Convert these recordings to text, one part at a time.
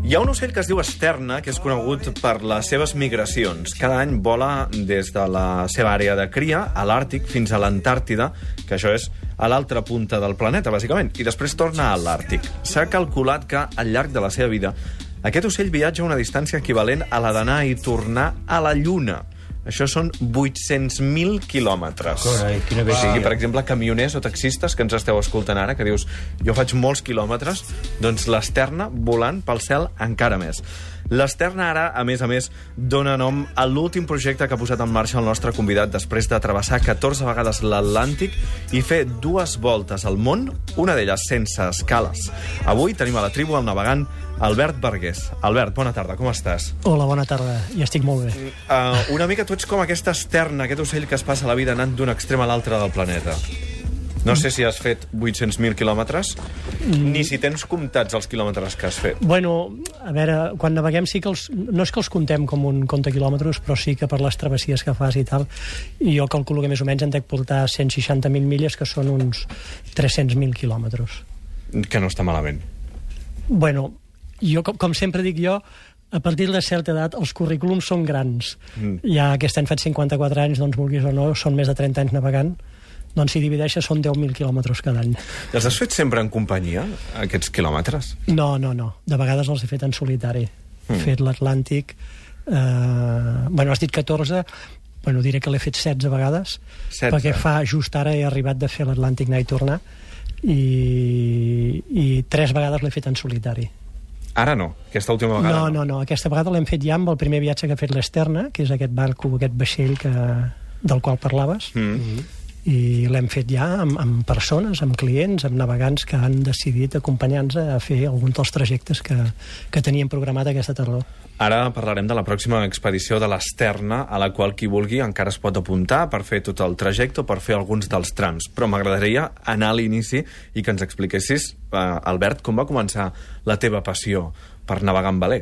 Hi ha un ocell que es diu esterna, que és conegut per les seves migracions. Cada any vola des de la seva àrea de cria, a l'Àrtic, fins a l'Antàrtida, que això és a l'altra punta del planeta, bàsicament, i després torna a l'Àrtic. S'ha calculat que, al llarg de la seva vida, aquest ocell viatja una distància equivalent a la d'anar i tornar a la Lluna. Això són 800.000 quilòmetres. Carai, quina bèstia. O sigui, per exemple, camioners o taxistes que ens esteu escoltant ara, que dius, jo faig molts quilòmetres, doncs l'Esterna volant pel cel encara més. L'Esterna ara, a més, dona nom a l'últim projecte que ha posat en marxa el nostre convidat després de travessar 14 vegades l'Atlàntic i fer 2 voltes al món, una d'elles sense escales. Avui tenim a la tribu el navegant Albert Vergés. Albert, bona tarda, com estàs? Hola, bona tarda, i estic molt bé. Una mica tu ets com aquesta esterna, aquest ocell que es passa la vida anant d'un extrem a l'altre del planeta. No sé si has fet 800.000 quilòmetres, ni si tens comptats els quilòmetres que has fet. Bueno, a veure, quan naveguem sí que no és que els contem com un compte quilòmetres, però sí que per les travessies que fas i tal, i jo calculo que més o menys en dec portar 160.000 milles, que són uns 300.000 quilòmetres. Que no està malament. Bueno, jo, com sempre dic jo, a partir de certa edat els currículums són grans. Ja aquest any faig 54 anys, doncs vulguis o no, són més de 30 anys navegant, doncs si divideixes són 10.000 quilòmetres cada any. I els has fet sempre en companyia, aquests quilòmetres? No. De vegades els he fet en solitari. He fet l'Atlàntic... Bueno, has dit 14... Bueno, diré que l'he fet 16 vegades, 16. Perquè fa just ara he arribat de fer l'Atlàntic anar i tornar, i 3 vegades l'he fet en solitari. Ara no, aquesta última vegada no. Aquesta vegada l'hem fet ja amb el primer viatge que ha fet l'Esterna, que és aquest barco, aquest vaixell del qual parlaves, i l'hem fet ja amb persones, amb clients, amb navegants que han decidit acompanyar-nos a fer alguns dels trajectes que teníem programat aquesta tardor. Ara parlarem de la pròxima expedició de l'Esterna, a la qual qui vulgui encara es pot apuntar per fer tot el trajecte o per fer alguns dels trams. Però m'agradaria anar a l'inici i que ens expliquessis, Albert, com va començar la teva passió per navegar en veler.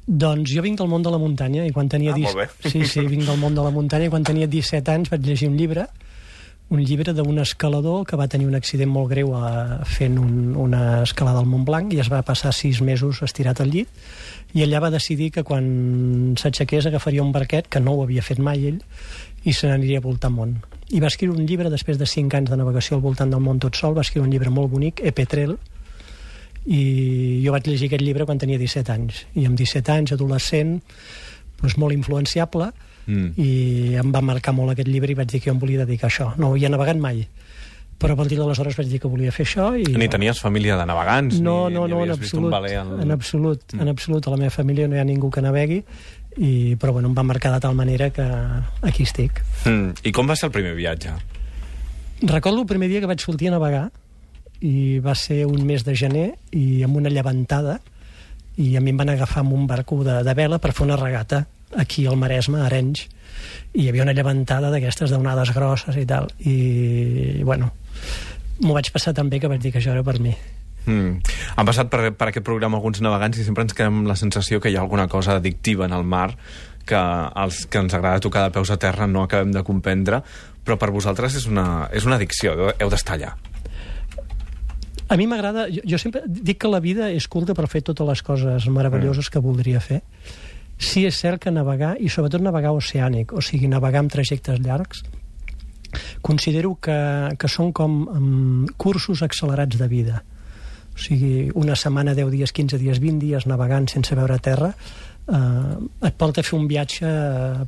Doncs jo vinc del món de la muntanya i quan tenia... Molt bé. Sí, vinc del món de la muntanya i quan tenia 17 anys vaig llegir un llibre d'un escalador que va tenir un accident molt greu fent una escalada al Mont Blanc i es va passar 6 mesos estirat al llit i allà va decidir que quan s'aixequés agafaria un barquet, que no ho havia fet mai ell, i se n'aniria a voltar món. I va escriure un llibre, després de 5 anys de navegació al voltant del món tot sol, va escriure un llibre molt bonic, Epetrel, i jo vaig llegir aquest llibre quan tenia 17 anys. I amb 17 anys, adolescent, doncs molt influenciable, i em va marcar molt aquest llibre i vaig dir que jo em volia dedicar a això. No havia navegat mai, però a partir d'aleshores vaig dir que volia fer això. Ni tenies família de navegants? No, en absolut. En absolut, a la meva família no hi ha ningú que navegui, però bueno, em va marcar de tal manera que aquí estic. I com va ser el primer viatge? Recordo el primer dia que vaig sortir a navegar, i va ser un mes de gener, i amb una llevantada, i a mi em van agafar amb un barco de vela per fer una regata aquí al Maresme, a Arenys, i hi havia una llevantada d'aquestes d'onades grosses i tal, i bueno, m'ho vaig passar tan bé que vaig dir que això era per mi. Han passat per aquest programa alguns navegants i sempre ens quedem amb la sensació que hi ha alguna cosa addictiva en el mar que els que ens agrada tocar de peus a terra no acabem de comprendre, però per vosaltres és una addicció, heu d'estar allà. A mi m'agrada, jo sempre dic que la vida és curta per fer totes les coses meravelloses que voldria fer. Sí, és cert que navegar, i sobretot navegar oceànic, o sigui, navegar amb trajectes llargs, considero que són com cursos accelerats de vida. O sigui, una setmana, 10 dies, 15 dies, 20 dies navegant sense veure terra, et porta a fer un viatge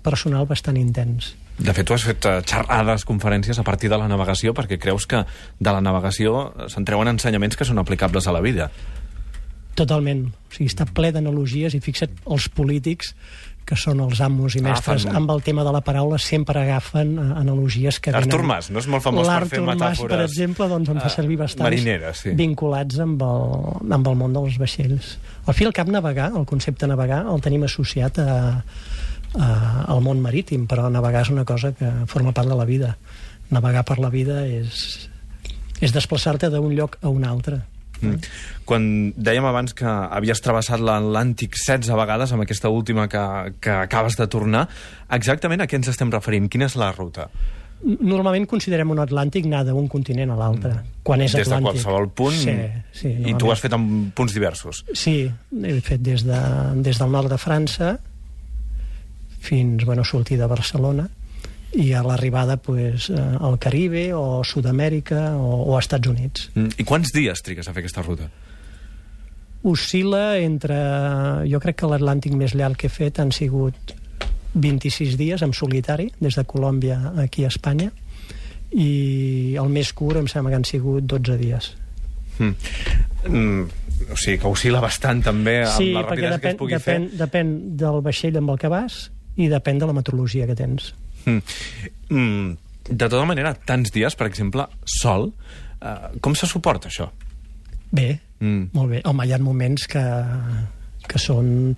personal bastant intens. De fet, tu has fet xerrades, conferències a partir de la navegació perquè creus que de la navegació se'n treuen ensenyaments que són aplicables a la vida. Totalment. O sigui, està ple d'analogies i fixa't, els polítics, que són els amos i mestres amb el tema de la paraula, sempre agafen analogies que venen... Artur Mas, no és molt famós per fer metàfores... L'Artur Mas, per exemple, doncs en fa servir bastants marineres, sí, vinculats amb el món dels vaixells. Al fi i al cap, navegar, el concepte navegar, el tenim associat al món marítim, però navegar és una cosa que forma part de la vida. Navegar per la vida és desplaçar-te d'un lloc a un altre. Quan dèiem abans que havies travessat l'Atlàntic 16 vegades, amb aquesta última que acabes de tornar, exactament a què ens estem referint? Quina és la ruta? Normalment considerem un Atlàntic anar d'un continent a l'altre, quan és Des de Atlàntic. qualsevol punt, Sí, i tu ho has fet en punts diversos. Sí, he fet des del nord de França fins, sortir de Barcelona, i a l'arribada al Caribe o Sud-amèrica o Estats Units. I quants dies trigues a fer aquesta ruta? Oscil·la entre... Jo crec que l'Atlàntic més llarg que he fet han sigut 26 dies en solitari, des de Colòmbia aquí a Espanya, i el més curt em sembla que han sigut 12 dies. O sigui que oscil·la bastant també amb la rapidesa que es pugui fer. Depèn del vaixell amb el que vas i depèn de la meteorologia que tens. De tota manera, tants dies, per exemple, sol, com se suporta això? Bé, molt bé. Home, hi ha moments que són...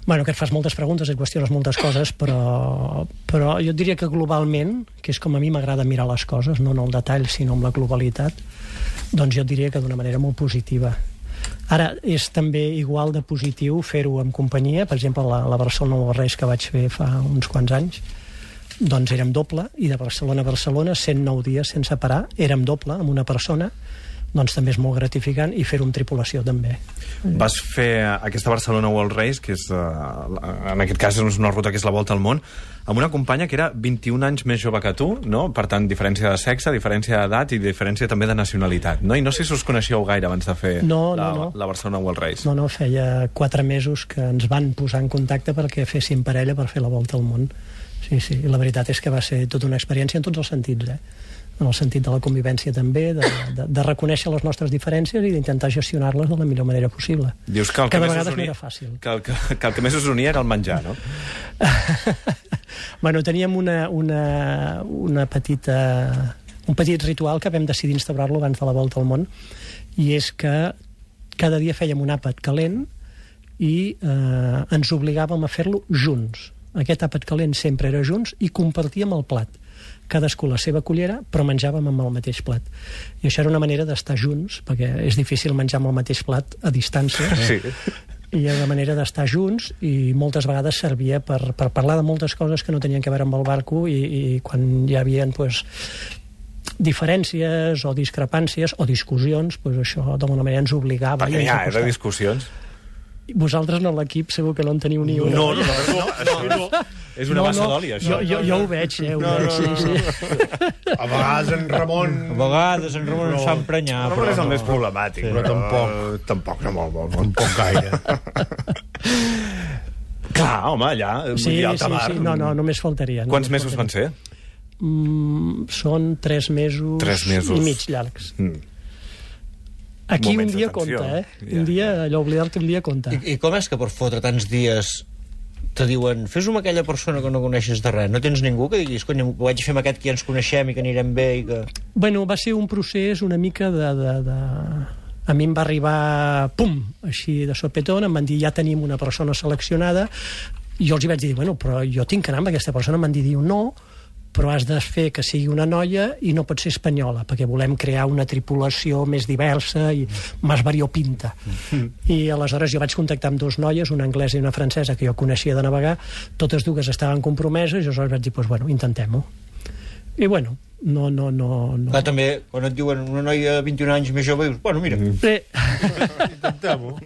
que et fas moltes preguntes, et qüestiones moltes coses, però jo et diria que globalment, que és com a mi m'agrada mirar les coses, no en el detall, sinó en la globalitat, doncs jo et diria que d'una manera molt positiva. Ara, és també igual de positiu fer-ho en companyia. Per exemple, la Barcelona World Race que vaig fer fa uns quants anys, doncs érem doble, i de Barcelona a Barcelona, 109 dies sense parar, érem doble, amb una persona, doncs també és molt gratificant, i fer-ho amb tripulació també. Vas fer aquesta Barcelona World Race, que és, en aquest cas és una ruta que és la volta al món, amb una companya que era 21 anys més jove que tu, no? Per tant, diferència de sexe, diferència d'edat i diferència també de nacionalitat, no? I no sé si us coneixeu gaire abans de fer la Barcelona World Race. No, feia 4 mesos que ens van posar en contacte perquè féssim parella per fer la volta al món. Sí, i la veritat és que va ser tota una experiència en tots els sentits, en el sentit de la convivència també, de reconèixer les nostres diferències i d'intentar gestionar-les de la millor manera possible. Dius que de vegades no era fàcil. Que el que més us unia era el menjar, no? Teníem un petit ritual que vam decidir instaurar-lo abans de la volta al món, i és que cada dia fèiem un àpat calent i ens obligàvem a fer-lo junts. Aquest àpat calent sempre era junts i compartíem el plat. Cadascú la seva cullera, però menjàvem amb el mateix plat. I això era una manera d'estar junts, perquè és difícil menjar amb el mateix plat a distància. Sí. I era una manera d'estar junts, i moltes vegades servia per parlar de moltes coses que no tenien a veure amb el barco, i quan hi havia diferències o discrepàncies o discussions, això d'alguna manera ens obligava. Perquè ja era discussions. Vosaltres no, l'equip, segur que no en teniu ni una. No. És una bassa d'oli, això. Jo ho veig, ho veig, sí. A vegades en Ramon ens fa emprenyar. Ramon és el més problemàtic. Però tampoc no molt, tampoc gaire. Clar, home, allà, sí, no, només faltaria. Quants mesos van ser? Són 3 mesos i mig llargs. Aquí un dia compta, Un dia, allò oblidar-te un dia compta. I com és que per fotre tants dies te diuen, fes-ho amb aquella persona que no coneixes de res? No tens ningú que diguis, cony, ho vaig fer amb aquest que ja ens coneixem i que anirem bé i que... Va ser un procés una mica A mi em va arribar, pum, així de sopetón, em van dir, ja tenim una persona seleccionada, i jo els hi vaig dir, però jo tinc que anar amb aquesta persona. Em van dir, no, però has de fer que sigui una noia i no pot ser espanyola, perquè volem crear una tripulació més diversa i més variopinta. I aleshores jo vaig contactar amb 2 noies, una anglesa i una francesa, que jo coneixia de navegar, totes dues estaven compromeses, i aleshores vaig dir, intentem-ho. I no. Clar, també, quan et diuen una noia de 21 anys més jove, dius, mira. Intentem-ho.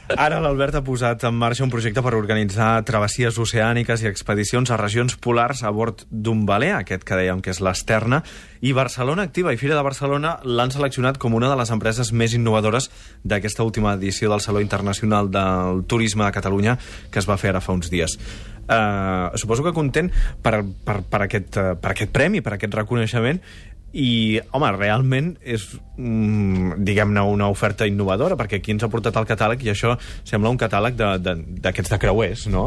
Ara l'Albert ha posat en marxa un projecte per organitzar travessies oceàniques i expedicions a regions polars a bord d'un veler, aquest que dèiem que és l'Esterna, i Barcelona Activa i Fira de Barcelona l'han seleccionat com una de les empreses més innovadores d'aquesta última edició del Saló Internacional del Turisme de Catalunya, que es va fer ara fa uns dies. Suposo que content per aquest premi, per aquest reconeixement. I, home, realment és, diguem-ne, una oferta innovadora, perquè aquí ens ha portat al catàleg, i això sembla un catàleg d'aquests de creuers, no?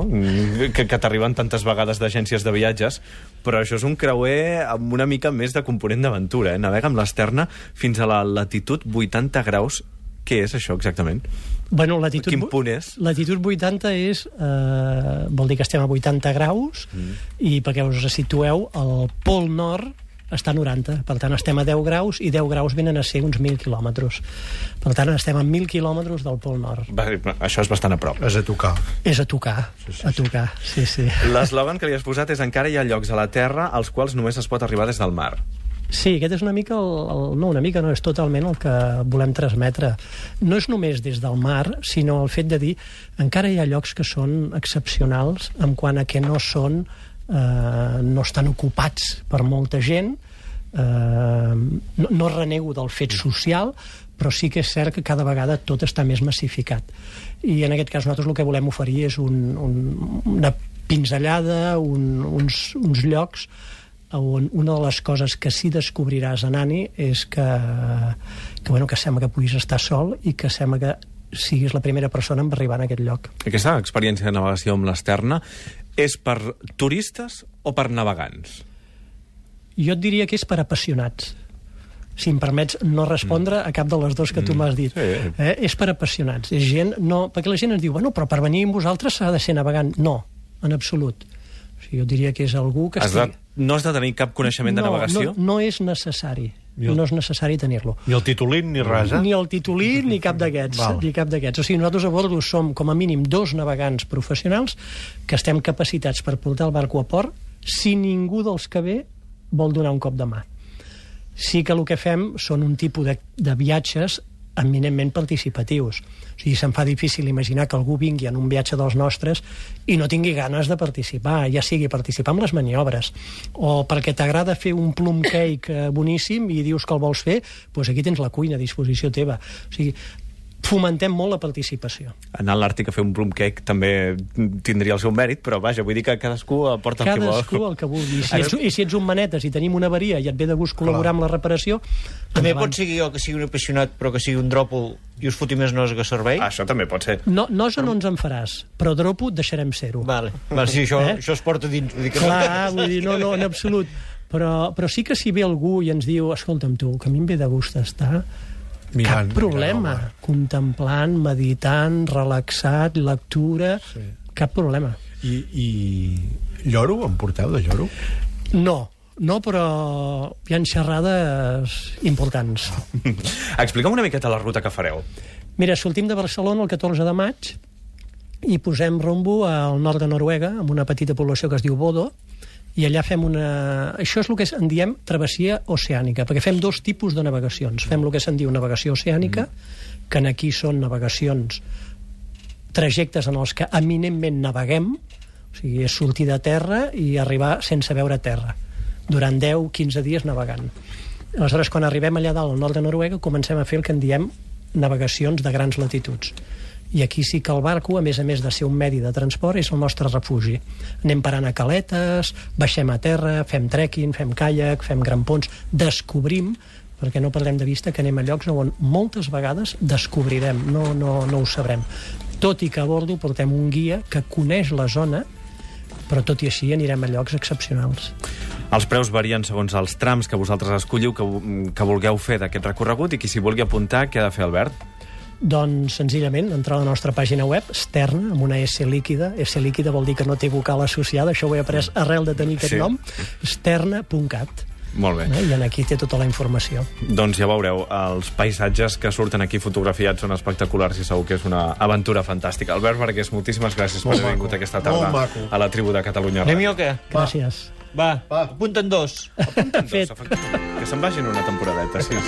Que t'arriben tantes vegades d'agències de viatges, però això és un creuer amb una mica més de component d'aventura, Navega amb l'Esterna fins a la latitud 80 graus. Què és això, exactament? Quin punt és? Latitud 80 és... vol dir que estem a 80 graus, i perquè us situeu, el pol nord està a 90. Per tant, estem a 10 graus i 10 graus venen a ser uns 1.000 quilòmetres. Per tant, estem a 1.000 quilòmetres del Pol Nord. Això és bastant a prop. És a tocar. És a tocar, a tocar, sí. L'eslògan que li has posat és encara hi ha llocs a la Terra als quals només es pot arribar des del mar. Sí, aquest és una mica no, és totalment el que volem transmetre. No és només des del mar, sinó el fet de dir encara hi ha llocs que són excepcionals en quant a que no estan ocupats per molta gent, no renego del fet social, però sí que és cert que cada vegada tot està més massificat. I en aquest cas nosaltres el que volem oferir és una pinzellada, uns llocs on una de les coses que sí descobriràs anant-hi és que sembla que puguis estar sol i que sembla que siguis la primera persona en arribar a aquest lloc. Aquesta experiència de navegació amb l'Esterna és per turistes o per navegants? Jo et diria que és per apassionats. Si em permets no respondre a cap de les dues que tu m'has dit. Sí. És per apassionats. És gent, perquè la gent ens diu, però per venir amb vosaltres s'ha de ser navegant. No, en absolut. O sigui, jo diria que és algú que no has de tenir cap coneixement de navegació? No és necessari. No és necessari tenir-lo. Ni el titulín ni res, Ni el titulí ni cap d'aquests. O sigui, nosaltres a bordo som com a mínim 2 navegants professionals que estem capacitats per portar el barco a port si ningú dels que ve vol donar un cop de mà. Sí que el que fem són un tipus de viatges eminentment participatius. O sigui, se'm fa difícil imaginar que algú vingui en un viatge dels nostres i no tingui ganes de participar, ja sigui participar en les maniobres, o perquè t'agrada fer un plum cake boníssim i dius que el vols fer, doncs aquí tens la cuina a disposició teva. O sigui, fomentem molt la participació. Anar a l'Àrtic a fer un plum cake també tindria el seu mèrit, però vaja, vull dir que cadascú aporta el que vol. Cadascú el que vulgui. I si ets un manetes i tenim una avaria i et ve de gust col·laborar amb la reparació... També pot ser jo que sigui un apassionat però que sigui un dròpol i us foti més nosa que servei? Això també pot ser. Nosa no ens en faràs, però dropo deixarem ser-ho. Vale, sí, això es porta dins. Clar, vull dir, no, en absolut. Però sí que si ve algú i ens diu, escolta'm tu, que a mi em ve de gust estar... Cap problema. Contemplant, meditant, relaxat, lectura... Sí. Cap problema. I lloro? En porteu de lloro? No, però hi ha xerrades importants. Explica'm una miqueta la ruta que fareu. Mira, sortim de Barcelona el 14 de maig i posem rumbo al nord de Noruega, amb una petita població que es diu Bodø, i allà fem això és el que en diem travessia oceànica, perquè fem 2 tipus de navegacions. Fem el que se'n diu navegació oceànica, que aquí són navegacions, trajectes en els que eminentment naveguem, o sigui, és sortir de terra i arribar sense veure terra, durant 10-15 dies navegant. Aleshores, quan arribem allà dalt al nord de Noruega, comencem a fer el que en diem navegacions de grans latituds. I aquí sí que el barco, a més de ser un medi de transport, és el nostre refugi. Anem parant a caletes, baixem a terra, fem trekking, fem caiac, fem grampons, descobrim, perquè no perdem de vista que anem a llocs on moltes vegades descobrirem, no ho sabrem. Tot i que a bordo portem un guia que coneix la zona, però tot i així anirem a llocs excepcionals. Els preus varien segons els trams que vosaltres escolliu que vulgueu fer d'aquest recorregut, i qui s'hi vulgui apuntar, què ha de fer, Albert? Doncs, senzillament, entrar a la nostra pàgina web, Sterna, amb una S líquida. S líquida vol dir que no té vocal associada, això ho he après arrel de tenir aquest nom, sterna.cat. Molt bé. I aquí té tota la informació. Doncs ja veureu, els paisatges que surten aquí fotografiats són espectaculars i segur que és una aventura fantàstica. Albert Vergés, moltíssimes gràcies per haver vingut aquesta tarda a la tribu de Catalunya. Anem o què? Gràcies. Va, apunten 2. Apunten 2, efectivament. Que se'n vagin una temporadeta, sí.